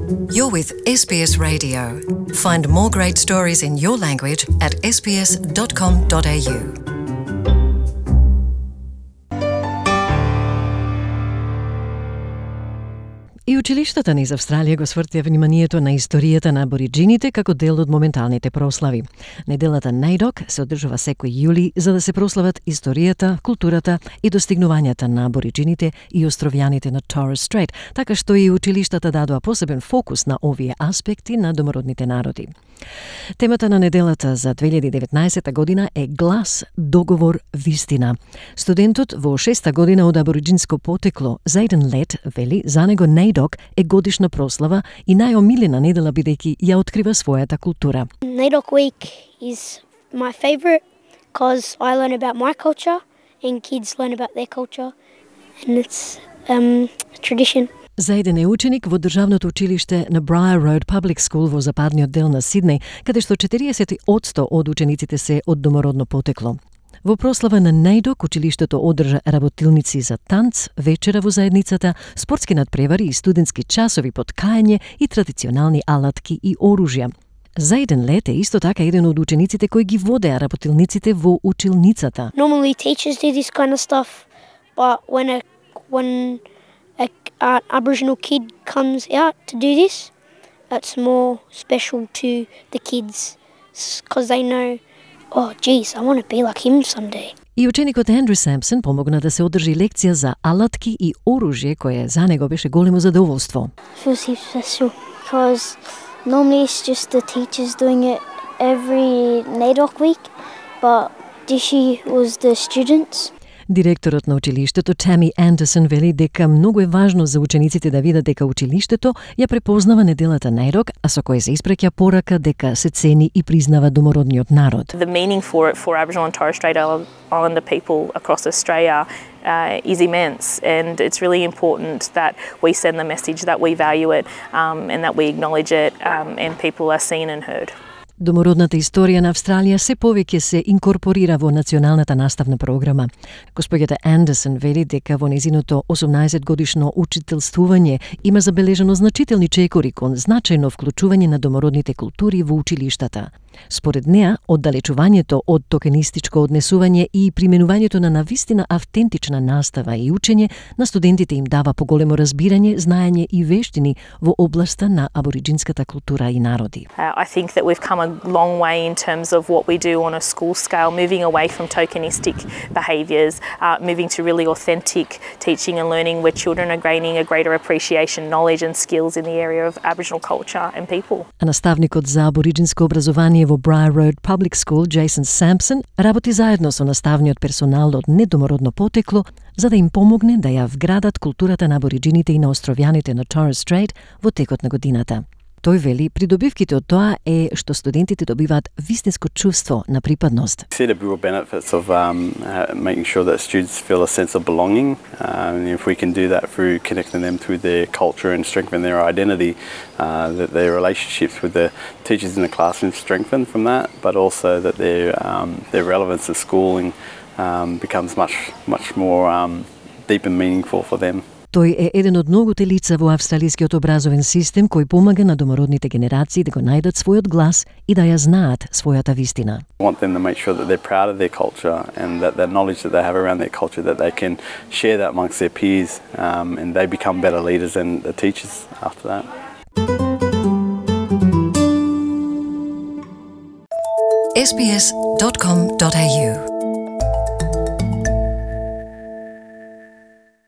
You're with SBS Radio. Find more great stories in your language at sbs.com.au. И училиштата низ Австралија го свртија вниманието на историјата на абориџините како дел од моменталните прослави. Неделата NAIDOC се одржува секој јули за да се прослават историјата, културата и достигнувањата на абориџините и островјаните на Torres Strait, така што и училиштата дадоа посебен фокус на овие аспекти на домородните народи. Темата на неделата за 2019 година е Глас, договор, вистина. Студентот во 6-та година од абориџинско потекло, Зайден Лет, вели за него NAIDOC е годишна прослава и најомилена недела бидејќи ја открива својата култура. NAIDOC week is my favorite because I learn about my culture and kids learn about their culture and it's a tradition. Заеден е ученик во државното училиште на Briar Road Public School во западниот дел на Сиднеј, каде што 40% од учениците се од домородно потекло. Во прослава на NAIDOC училиштето одржа работилници за танц, вечера во заедницата, спортски надпревари и студентски часови под каење и традиционални алатки и оружја. Заеден Лет е исто така еден од учениците кои ги водеа работилниците во училницата. Normally teachers do this kind of stuff, but when an Aboriginal kid comes out to do this, it's more special to the kids because they know, oh, geez, I want to be like him someday. И ученикот Андрю Сампсон помогна да се одржи лекција за алатки и оружје, кое за него беше големо задоволство. Feels special because normally it's just the teachers doing it every NAIDOC week, but this year was the students. Директорот на училиштето Тами Андерсон вели дека многу е важно за учениците да видат дека училиштето ја препознава неделата NAIDOC, а со кој се испраќа порака дека се цени и признава домородниот народ. The meaning for it for Aboriginal and Torres Strait Islander people across Australia is immense, and it's really important that we send the message that we value it and that we acknowledge it and people are seen and heard. Домородната историја на Австралија се повеќе се инкорпорира во националната наставна програма. Господјата Андерсон вели дека во незиното 18-годишно учителствување има забележано значителни чекори кон значајно вклучување на домородните култури во училиштата. Според неа, оддалечувањето од токенистичко однесување и применувањето на навистина автентична настава и учење на студентите им дава поголемо разбирање, знаење и вештини во областа на абориџинската култура и народи. I think that we've come a long way in terms of what we do on a school scale, moving away from tokenistic behaviours, moving to really authentic teaching and learning where children are gaining a greater appreciation, knowledge and skills in the area of Aboriginal culture and people. А наставникот за абориџинско образование во Briar Road Public School, Jason Sampson, работи заедно со наставниот персонал од недомородно потекло за да им помогне да ја вградат културата на абориџините и на островјаните на Torres Strait во текот на годината. Тој вели, придобивките од тоа е што студентите добиваат вистинско чувство на припадност. See the real benefits of making sure that students feel a sense of belonging, and if we can do that through connecting them through their culture and strengthen their identity, that their relationships with the teachers in the classroom strengthen from that, but also that their relevance to schooling becomes much more deep and meaningful for them. Тој е еден од многуте лица во австралискиот образовен систем кој помага на домородните генерации да го најдат својот глас и да ја знаат својата вистина. I want them to make sure that they're proud of their culture and that the knowledge that they have around their culture, that they can share that amongst their peers and they become better leaders and the teachers after that. sbs.com.au